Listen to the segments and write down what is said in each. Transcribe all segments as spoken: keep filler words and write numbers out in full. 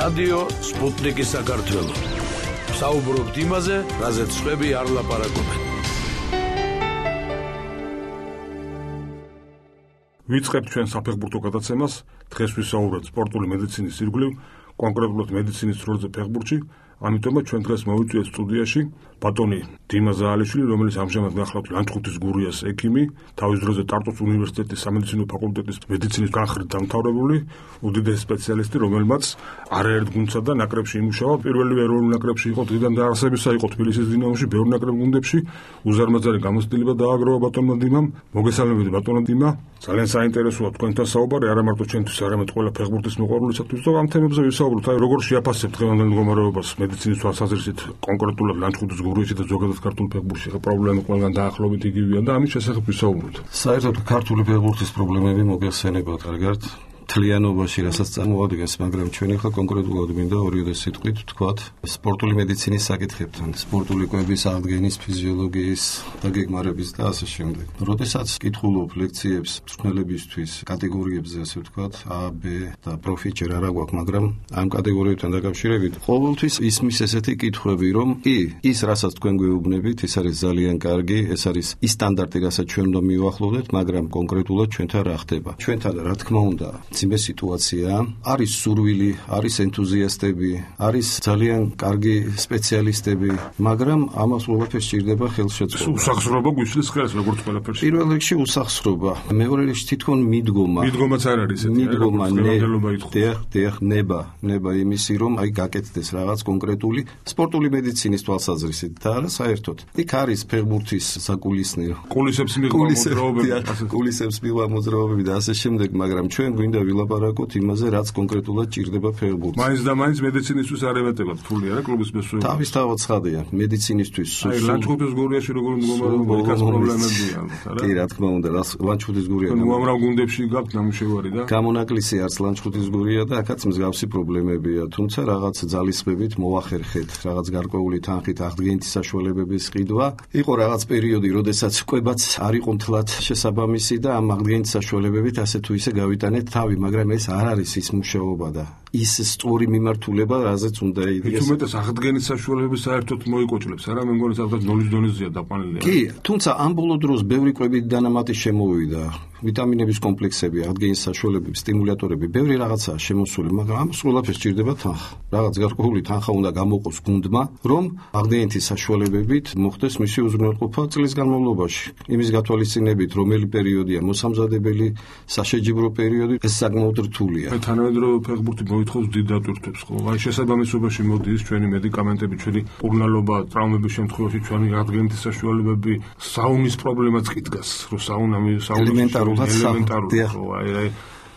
რადიო სპუტნიკი საქართველო. საუბრობთ იმაზე, რაზეც სხვები არ ლაპარაკობენ. ვიწყებთ ჩვენ საფეხბურთო გადაცემას. დღეს ვისაუბრებთ სპორტული მედიცინის ირგვლივ, კონკრეტულად მედიცინის როლზე ფეხბურთში. ამიტომაც ჩვენ დღეს მოვიწვიეთ სტუდიაში ბატონი დიმა ზაალიშვილი, რომელიც ამჟამად გახლავთ ლანჩხუთის გურიას ექიმი, თავის დროზე ტარტუს უნივერსიტეტის სამედიცინო ფაკულტეტის მედიცინის განხრით დამთავრებული, უდიდესი სპეციალისტი, რომელმაც არაერთ გუნდსა და ნაკრებში იმუშავა. პირველი ეროვნულ ნაკრებში იყო, დღიდან დაარსებისა იყო თბილისის დინამოში, ბევრ ნაკრებ გუნდებში. უზარმაზარი გამოცდილება დააგროვა ბატონმა დიმამ. მოგესალმებით ბატონო დიმა. ძალიან საინტერესოა თქვენთან საუბარი, არა მარტო ჩვენთვის, არამედ ყველა ფეხბურთის მოყვარულისათვის. და ამ თემებზე ვისაუბროთ, აი როგორ შეაფასებთ დღევანდელ მდგომარეობას მედიცინის თვალსაზრისით, კონკრეტულად ლანჩხუთის გურიაში და ზოგადად ქართულ ფეხბურთში პრობლემა ყველგან დაახლოებით იგივეა და ამის შესახებ ვისაუბროთ. საერთოდ ქართული ფეხბურთის პრობლემები მოგეხსენებათ კარგად თლიანობაში, რასაც წარმოადგენს, მაგრამ ჩვენ ახლა კონკრეტულად მინდა ორი სიტყვით ვთქვათ სპორტული მედიცინის საკითხებთან, სპორტული კვების აღდგენის, ფიზიოლოგიის დაგეგმარების და ასე შემდეგ. როდესაც კითხულობ ლექციებს მწვრთნელებისთვის კატეგორიებზე, ასე ვთქვათ, A, B და პროფი ჯერ არა გვაქვს, მაგრამ ამ კატეგორიებთან დაკავშირებით ყოველთვის ისმის ესეთი კითხვები, რომ კი, ის რასაც თქვენ გვეუბნებით, ის არის ძალიან კარგი, ეს არის ის სტანდარტი, რასაც ჩვენ უნდა მივახლოვდეთ, მაგრამ კონკრეტულად ჩვენთან რა ხდება? ჩვენთან რა თქმა უნდა ძიმე სიტუაცია, არის სურვილი, არის ენთუზიასტები, არის ძალიან კარგი სპეციალისტები, მაგრამ ამას ყველაფერს სჭირდება ხელშეწყობა. უსახსრობა გვიშლის ხელს, როგორც ყველაფერს. პირველ რიგში უსახსრობა, მეორე რიგში თითქონ მიდგომა. მიდგომაც არ არის ესეთი, მიდგომა, დიახ, ნება, ნება იმისი, რომ აი გაკეთდეს რაღაც კონკრეტული სპორტული მედიცინის თვალსაზრისით და არა საერთოდ. იქ არის ფეხბურთის საკულისნი, კულისებს მიღვა მოძრაობები, კულისებს მიღვა მოძრაობები და ასე შემდეგ, მაგრამ ჩვენ გვინდა ვილაპარაკოთ იმაზე, რაც კონკრეტულად ჭირდება ფეხბურთს. მაინც და მაინც მედიცინისთვის არ ემატებათ ფული არა კლუბის მესვეები. თავისთავად ცხადია, მედიცინისთვის. აი ლანჩხუთის გურიაში როგორ მდგომარეობა, იქაც პრობლემებია ალბათ, არა? კი, რა თქმა უნდა, ლანჩხუთის გურია. ნუ ამრავ გუნდებში გაქვთ ნამუშევარი და გამონაკლისი არც ლანჩხუთის გურია და აქაც მსგავსი პრობლემებია, თუმცა რაღაც ძალისხმევით მოახერხეთ, რაღაც გარკვეული თანხით აღდგენითი საშუალებების ყიდვა. იყო რაღაც პერიოდი, როდესაც კვებაც არ იყო მთლად შესაბამისი და ამ აღდგენითი საშუალებებით ასე თუ ისე გავიტანეთ თავი, მაგრამ ეს არ არის ის მუშაობა და ის სწორი მიმართულება, რაზეც უნდა იდგეს. თუმცა აღდგენის საშუალებები საერთოდ მოიკოჭლებს, არა? მე მგონი სადღაც ნოლის დონეზეა დაყვანილი. კი, თუმცა ამ ბოლო დროს ბევრი კვებით დანამატი შემოვიდა. ვიტამინების კომპლექსები, აღდგენის საშუალებები, სტიმულატორები, ბევრი რაღაცაა შემოსული, მაგრამ ამას ყველაფერს სჭირდება თანხა. რაღაც გარკვეული თანხა უნდა გამოყოს გუნდმა, რომ აღდგენითი საშუალებებით მოხდეს მისი უზრუნველყოფა წლის განმავლობაში. იმის გათვალისწინებით, რომელი პერიოდია მოსამზადებელი, საშეჯიბრო პერიოდი, ეს საკმაოდ რთულია. მე თანამედროვე ფეხბურთი მოითხოვს დიდ დატვირთვებს, ხო? აი შესაბამისობაში მოდის ჩვენი მედიკამენტები, ჩვენი პურნალობა, ტრავმების შემთხვევაში ჩვენი აღდგენითი საშუალებები, საუნის პრობლემაც კი დგას, რომ საუნამი საუნის ელემენტარულად აი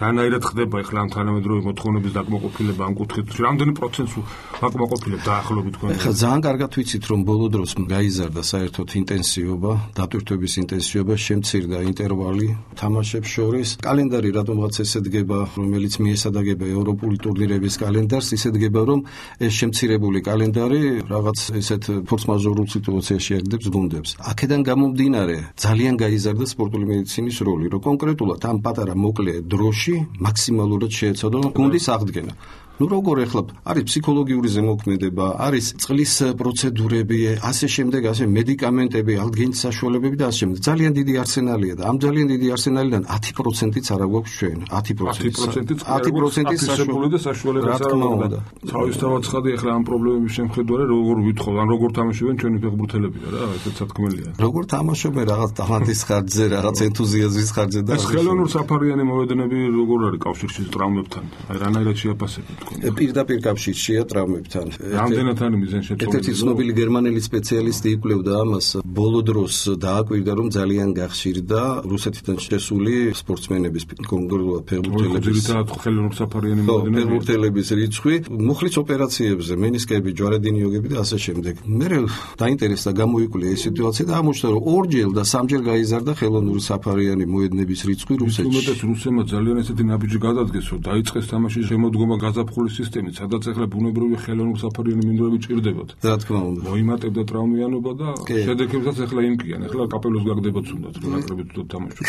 რანაირად ხდება ახლა ამ თანამედროვე მოთხოვნების დაკმაყოფილება ამ კუთხით? რამდენი პროცენტს დაკმაყოფილებ დაახლოებით თქვენ? ახლა ძალიან კარგად ვიცით, რომ ბოლო დროს გაიზარდა საერთოდ ინტენსივობა, დატვირთვების ინტენსივობა, შემცირდა ინტერვალი თამაშებს შორის. კალენდარი რატომღაც ესე დგება, რომელიც მიესადაგება ევროპული ტურნირების კალენდარს, ისე დგება, რომ ეს შემცირებული კალენდარი რაღაც ესეთ ფორს-მაჟორულ სიტუაციაში აგდებს გუნდებს. აქედან გამომდინარე, ძალიან გაიზარდა სპორტული მედიცინის როლი, რომ კონკრეტულად ამ პატარა მოკლე დროში მაქსიმალურად შეეცადო გუნდის აღდგენა. ნუ როგორ ეხლა არის ფსიქოლოგიური ზემოქმედება, არის წყლის პროცედურები, ასე შემდეგ, ასე მედიკამენტები, აღდგენის საშუალებები და ასე შემდეგ. ძალიან დიდი არსენალია და ამ ძალიან დიდი არსენალიდან ათი პროცენტიც არ აქვს ჩვენ. ათი პროცენტიც ათი პროცენტიც საშუალებაა. რა თქმა უნდა. თავისთავად ცხადია ახლა ამ პრობლემების შემხედარე როგორ ვითხოვ, ან როგორ თამაშობენ ჩვენი ფეხბურთელები რა, ესეც სათქმელია. როგორ თამაშობენ რაღაც ტალანტის ხარჯზე, რაღაც ენთუზიაზმის ხარჯზე და ეს ხელოვნურ საფარიანი მოედნები როგორ არის კავშირში ტრაუმებთან? აი რანაირად შეაფასებთ? პირდაპირ კავშირშია ტრავმებთან. რამდენად არის მიზანშეწონილი? ერთ-ერთი ცნობილი გერმანელი სპეციალისტი იკვლევდა ამას. ბოლო დროს დააკვირდა, რომ ძალიან გახშირდა რუსეთიდან შესული სპორტსმენების, კონკრეტულად ფეხბურთელების, ძირითადად ხელოვნურ საფარიანი მოედნები, ფეხბურთელების რიცხვი, მუხლის ოპერაციებზე, მენისკები, ჯვარედინიოგები და ასე შემდეგ. მე დაინტერესდა, გამოიკვლია ეს სიტუაცია და აღმოჩნდა, რომ ორჯერ და სამჯერ გაიზარდა ხელოვნური საფარიანი მოედნების რიცხვი რუსეთში. უმეტეს რუსებმა ძალიან ესეთი ნაბიჯი გადადგეს, რომ დაიწყეს თამაშის შემოდგომა გაზაფხულში ზაფხულის სისტემით, სადაც ახლა ბუნებრივი ხელოვნური საფარიანი მინდვრები ჭირდებათ. რა თქმა უნდა. მოიმატებდა ტრავმიანობა და შედეგებსაც ახლა იმკიან. ახლა კაპელოს გაგდებათ უნდათ, რომ ნაკრებით თვითონ თამაშობ.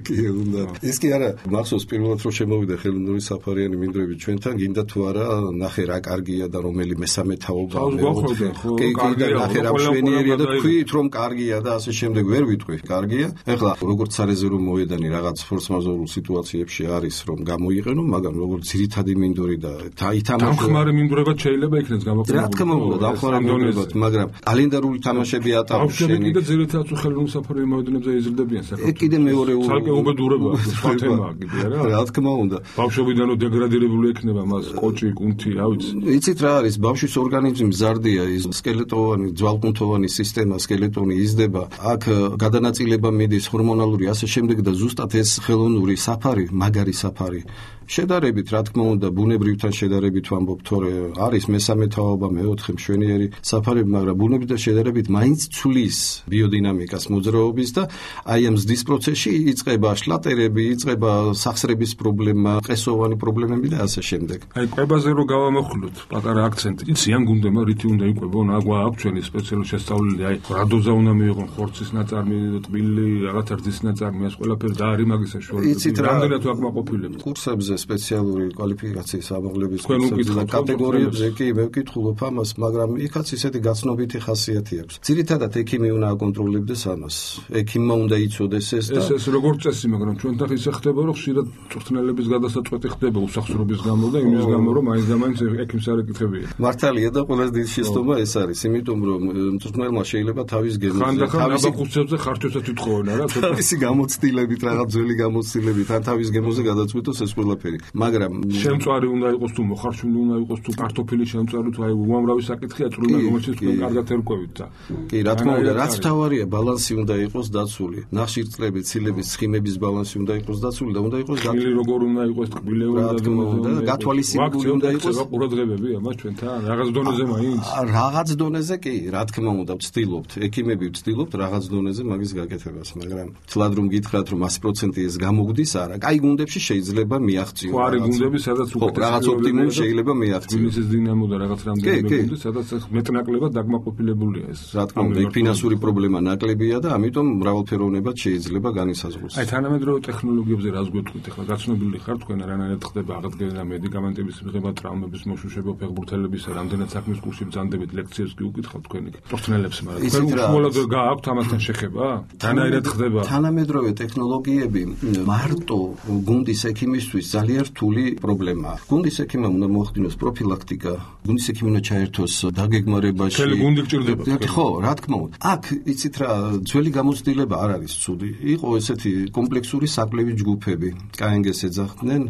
კი, უნდა. ის კი არა, მახსოვს პირველად რომ შემოვიდა ხელოვნური საფარიანი მინდვრები ჩვენთან, გინდა თუ არა, ნახე რა კარგია და რომელი მესამე თაობა მეოთხე. კი, კი, ნახე რა მშვენიერია და თქვით რომ კარგია და ასე შემდეგ ვერ ვიტყვი, კარგია. ახლა როგორც სარეზერვო მოედანი რაღაც ფორს-მაჟორულ სიტუაციებში არის რომ გამოიყენო, მაგრამ როგორც ძირითადი მინდვარი და ითამაშო. დამხმარე მინდვრებად შეიძლება იქნეს გამოყენებული. რა თქმა უნდა, დამხმარე მინდვრებად, მაგრამ კალენდარული თამაშები ატარებს შენი. კიდე ძირითადად ხელოვნური საფარიანი მოედნებზე იზრდებიან საკუთარ. კიდე მეორე ცალკე უბედურება, სხვა თემაა კიდე რა. რა თქმა უნდა. ბავშვობიდან დეგრადირებული ექნება მას კოჭი, კუნთი, რა ვიცი. იცით რა არის, ბავშვის ორგანიზმი მზარდია, ის სკელეტოვანი, ძვალკუნთოვანი სისტემა, სკელეტონი იზრდება. აქ გადანაწილება მიდის ჰორმონალური ასე შემდეგ და ზუსტად ეს ხელოვნური საფარი, მაგარი საფარი შედარებით, რა თქმა უნდა, ბუნებრივთან შედარებით ვამბობ, თორე არის მესამე თაობა, მეოთხე მშვენიერი საფარები, მაგრამ ბუნებრივთან შედარებით მაინც ცვლის ბიოდინამიკას მოძრაობის და აი ამ ზრდის პროცესში იწყება შლატერები, იწყება სახსრების პრობლემა, ყესოვანი პრობლემები და ასე შემდეგ. აი კვებაზე რო გავამოხლოთ პატარა აქცენტი. იცი ან გუნდემა რითი უნდა იყვებონ, აგვა აქვს ჩვენი სპეციალური შესწავლილი, აი რა დოზა უნდა მიიღონ, ხორცის ნაწარმი, ტბილი, რაღაცა რძის ნაწარმი, ეს ყველაფერი და არის მაგის საშუალება. რამდენად ვაკმაყოფილებთ კურსებზე სპეციალური კვალიფიკაციის ამაღლების კურსებზე და კატეგორიებზე კი მე ვკითხულობ ამას, მაგრამ იქაც ისეთი გაცნობიტი ხასიათი აქვს. ძირითადად ექიმი უნდა აკონტროლებდეს ამას. ექიმმა უნდა იცოდეს ეს და ეს ეს როგორც წესი, მაგრამ ჩვენთან ისე ხდება, რომ ხშირად წვრთნელების გადასაწყვეტი ხდება უსახსრობის გამო და იმის გამო, რომ მაინც და მაინც ექიმს არ ეკითხებიან. მართალია და ყველაზე დიდი შეცდომა ეს არის, იმიტომ რომ მწვრთნელმა შეიძლება თავის გემოზე, თავისი ხუთებზე ხარჯოსაც უთხოვენ რა, თავისი გამოცდილებით, რაღაც ძველი გამოცდილებით, ან თავის გემოზე გადაწყვიტოს ეს ყველაფერი. მაგრამ შემწვარი უნდა იყოს თუ მოხარშული უნდა იყოს თუ კარტოფილი შემწვარი თუ აი უამრავი საკითხია წვრთნა რომელშიც თქვენ კარგად ერკვევით და კი რა თქმა უნდა რაც თავარია ბალანსი უნდა იყოს დაცული ნახშირწყლების ცილების სხიმების ბალანსი უნდა იყოს დაცული და უნდა იყოს გათვლილი როგორ უნდა იყოს ტკბილეული და გათვალისწინებული უნდა იყოს ყურადღებები ამას ჩვენთან რაღაც დონეზე მაინც რაღაც დონეზე კი რა თქმა უნდა ვცდილობთ ექიმები ვცდილობთ რაღაც დონეზე მაგის გაკეთებას მაგრამ თლად რომ გითხრათ რომ sto procent ეს გამოგდის არა კაი გუნდებში შეიძლება მიაღწიოს ყარი გუნდები სადაც უკეთეს რაღაც ოპტიმუმი შეიძლება მიაღწიოს მისის დინამო და რაღაც რამდენიმე გუნდი სადაც მეტნაკლებად დაგმაყოფილებულია ეს რა თქმა უნდა იქ ფინანსური პრობლემა ნაკლებია და ამიტომ მრავალფეროვნებად შეიძლება განისაზღვროს აი თანამედროვე ტექნოლოგიებზე რას გვეტყვით ახლა გაცნობილი ხარ თქვენ რანაირად ხდება აღდგენა მედიკამენტების მიღება ტრავმების მოშუშება ფეხბურთელებისა რამდენად საქმის კურსში ბრძანდებით ლექციებს კი უკითხავთ თქვენ იქ პროფესიონალებს მაგრამ თქვენ უშუალოდ გააქვთ ამასთან შეხება თანაირად ხდება თანამედროვე ტექნოლოგიები მარტო გუნდის ექიმისთვის ძალიან რთული პრობლემაა. გუნდის ექიმმა უნდა მოახდინოს პროფილაქტიკა, გუნდის ექიმი უნდა ჩაერთოს დაგეგმარებაში. მთელი გუნდი გჭირდება. ხო, რა თქმა უნდა. აქ იცით რა, ძველი გამოცდილება არ არის ცუდი. იყო ესეთი კომპლექსური საკვლევი ჯგუფები. კაენგეს ეძახდნენ,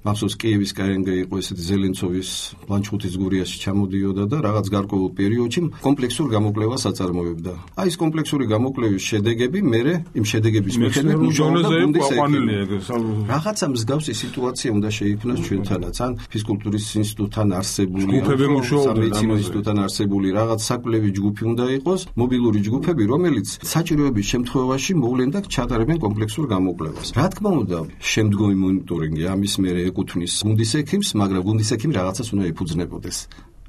მახსოვს კიევის კაენგე იყო ესეთი ზელენცოვის ლანჩხუთის გურიაში ჩამოდიოდა და რაღაც გარკვეულ პერიოდში კომპლექსურ გამოკვლევას აწარმოებდა. აი ეს კომპლექსური გამოკვლევის შედეგები მერე იმ შედეგების მიხედვით მუშაობდა გუნდის ექიმი. რაღაცა მსგავსი სიტუაცია უნდა შეიქმნას ჩვენთანაც ან ფიზკულტურის ინსტიტუტთან არსებული სამედიცინო ინსტიტუტთან არსებული რაღაც საკვლევი ჯგუფი უნდა იყოს მობილური ჯგუფები რომელიც საჭიროების შემთხვევაში მოვლენდა ჩატარებენ კომპლექსურ გამოკვლევას რა თქმა უნდა შემდგომი მონიტორინგი ამის მერე ეკუთვნის გუნდის ექიმს მაგრამ გუნდის ექიმი რაღაცას უნდა ეფუძნებოდეს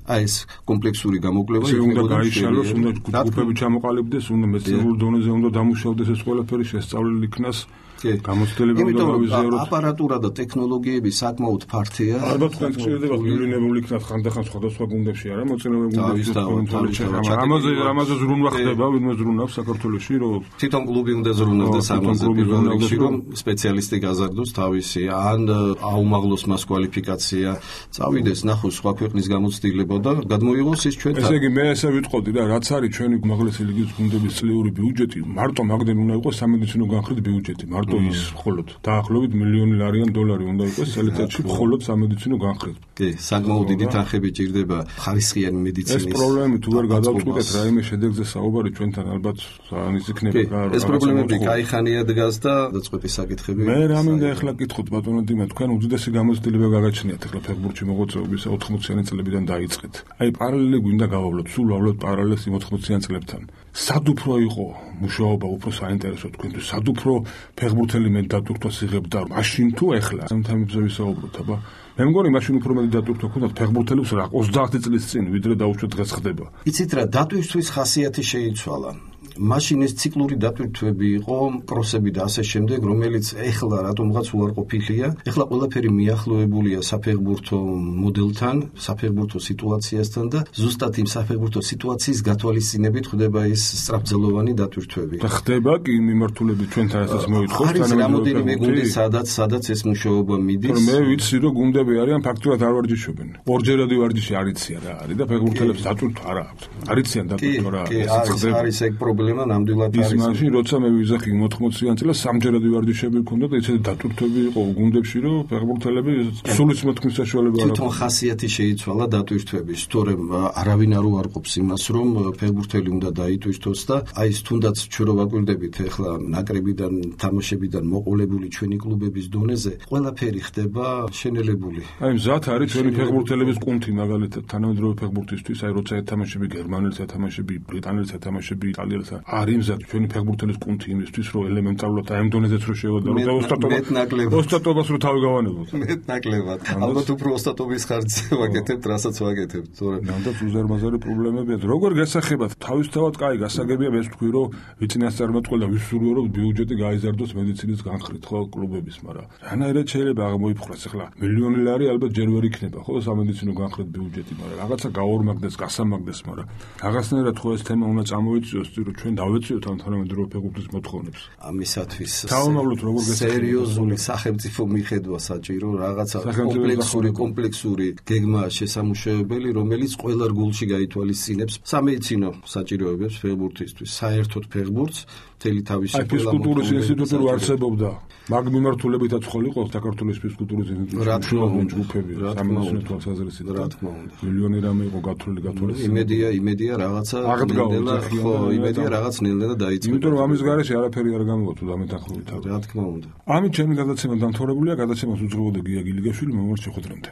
აი ეს კომპლექსური გამოკვლევა უნდა გაიშალოს უნდა ჯგუფები ჩამოყალიბდეს უნდა მეცნიერულ დონეზე უნდა დამუშავდეს ეს ყველაფერი შესწავლილი იქნას გამოცდილება უნდა გავიზიაროთ. აპარატურა და ტექნოლოგიები საკმაოდ ფართია. ალბათ თქვენ გჭირდება გილინებული იქნათ ხანდახან სხვადასხვა გუნდებში არა მოწინავე გუნდებში ამაზე ამაზე ზრუნვა ხდება ვინმე ზრუნავს საქართველოში რომ თვითონ კლუბი უნდა ზრუნავდეს ამაზე პირველ რიგში რომ სპეციალისტი გაზარდოს თავისი ან აუმაღლოს მას კვალიფიკაცია წავიდეს ნახოს სხვა ქვეყნის გამოცდილება და გადმოიღოს ის ჩვენთან. ესე იგი მე ესე ვიტყოდი და რაც არის ჩვენი უმაღლესი ლიგის გუნდების წლიური ბიუჯეტი მარტო მაგდენ უნდა იყოს სამედიცინო განხრით ბიუჯეტი მარტო ის მხოლოდ დაახლოებით მილიონი ლარიან დოლარი უნდა იყოს წელიწადში მხოლოდ სამედიცინო განხრით. კი, საკმაოდ დიდი თანხები ჭირდება ხარისხიანი მედიცინის. ეს პრობლემები თუ ვერ გადავწყვეტეთ რაიმე შედეგზე საუბარი ჩვენთან ალბათ სანის იქნება. ეს პრობლემები кайხანია დგას და დაწყვეტის საკითხები. მე რა მინდა ახლა გითხოთ ბატონო დიმა თქვენ უდიდესი გამოცდილება გაგაჩნიათ ახლა ფეხბურთში მოღვაწეობისა ოთხმოციანი წლებიდან დაიწყეთ. აი პარალელი გვინდა გავავლოთ, სულ ვავლოთ პარალელს იმ ოთხმოციან წლებთან. სად უფრო იყო მუშაობა უფრო საინტერესო თქვენთვის, სად უფრო ფეხბურთელი მე დატვირთვას იღებდა მაშინ თუ ეხლა ამ თემებზე ვისაუბროთ, აბა მე მგონი მაშინ უფრო მეტი დატვირთვა ქონდათ ფეხბურთელებს რა ოცდაათი წლის წინ ვიდრე დაუშვათ დღეს ხდება. იცით რა, დატვირთვის ხასიათი შეიცვალა. მაშინ ეს ციკლური დატვირთვები იყო, კროსები და ასე შემდეგ, რომელიც ეხლა რატომღაც უარყოფილია. ეხლა ყველაფერი მიახლოებულია საფეხბურთო მოდელთან, საფეხბურთო სიტუაციასთან და ზუსტად იმ საფეხბურთო სიტუაციის გათვალისწინებით ხდება ეს სწრაფძელოვანი დატვირთვები. და ხდება კი მიმართულებით ჩვენთან რასაც მოითხოვს არის რამოდენიმე გუნდი, სადაც სადაც ეს მუშაობა მიდის. მე ვიცი რომ გუნდები არიან ფაქტურად არ ვარჯიშობენ. ორჯერადი ვარჯიში არიციან რა არის და ფეხბურთელებს დატვირთვა არა აქვს. არიციან დატვირთვა რა. ეს არის ეგ პრობლემა ნამდვილად არის. ის მაშინ როცა მე ვიზახი ოთხმოციან წელს სამჯერადი ვარჯიშები ჰქონდა და ისეთი დატვირთვები იყო გუნდებში რომ ფეხბურთელები სულის მოთქმის საშუალება არ აქვს. თვითონ ხასიათი შეიცვალა დატვირთვების, თორემ არავინ არ უარყოფს იმას, რომ ფეხბურთელი უნდა დაიტვირთოს და აი ეს თუნდაც ჩვენ რო ვაკვირდებით ახლა ნაკრებიდან, თამაშებიდან მოყოლებული ჩვენი კლუბების დონეზე, ყველაფერი ხდება შენელებული. აი მზად არის ჩვენი ფეხბურთელების კუნთი მაგალითად თანამედროვე ფეხბურთისთვის, აი როცა ეთამაშები გერმანელს, ეთამაშები ბრიტანელს, ეთამაშები იტალიელს, არის მზად ჩვენი ფეხბურთელის კუნთი იმისთვის, რომ ელემენტარულად აი ამ დონეზეც რო შევადარო და ოსტატობას რო თავი გავანებოთ. მეტ ნაკლებად. ალბათ უფრო ოსტატობის ხარჯზე ვაკეთებთ, რასაც ვაკეთებთ, თორემ ნამდვილად უზარმაზარი პრობლემებია. როგორ გასახებად თავისთავად კაი გასაგებია მე ვთქვი, რომ ვიწინასწარმეტყველდა ვისურვო, რომ ბიუჯეტი გაიზარდოს მედიცინის განხრით ხო კლუბების, მაგრამ რანაირად შეიძლება აღმოიფხვრას ახლა მილიონი ლარი ალბათ ჯერ ვერ იქნება ხო სამედიცინო განხრით ბიუჯეტი, მაგრამ რაღაცა გაორმაგდეს, გასამაგდეს, მაგრამ რაღაცნაირად ხო ეს თემა უნდა წამოიწიოს, რომ ჩვენ დავეციოთ ამ თანამედროვე ფეხბურთის მოთხოვნებს. ამისათვის თავმოვლოთ როგორ სერიოზული სახელმწიფო მიხედვა საჭირო, რაღაცა კომპლექსური კომპლექსური გეგმა შესამუშავებელი, რომელიც ყველა რგოლში გაითვალისწინებს სამედიცინო საჭიროებებს ფეხბურთისთვის, საერთოდ ფეხბურთს მთელი თავისი ყველა ფიზკულტურის ინსტიტუტი რო არსებობდა, მაგ მიმართულებითაც ხო იყო საქართველოს ფიზკულტურის ინსტიტუტი ჯგუფები, სამედიცინო თვალსაზრისით, რა თქმა უნდა. მილიონი რამე იყო გათვლილი გათვლილი. იმედია, იმედია რაღაცა ნელ-ნელა, ხო, იმედია რაღაც ნელ-ნელა დაიწყება. იმიტომ რომ ამის გარეშე არაფერი არ გამოვა თუ დამეთანხმებით. რა თქმა უნდა. ამით ჩემი გადაცემა დამთავრებულია, გადაცემას უძღვებოდა გია გილიგაშვილი, მომავალ შეხვედრამდე.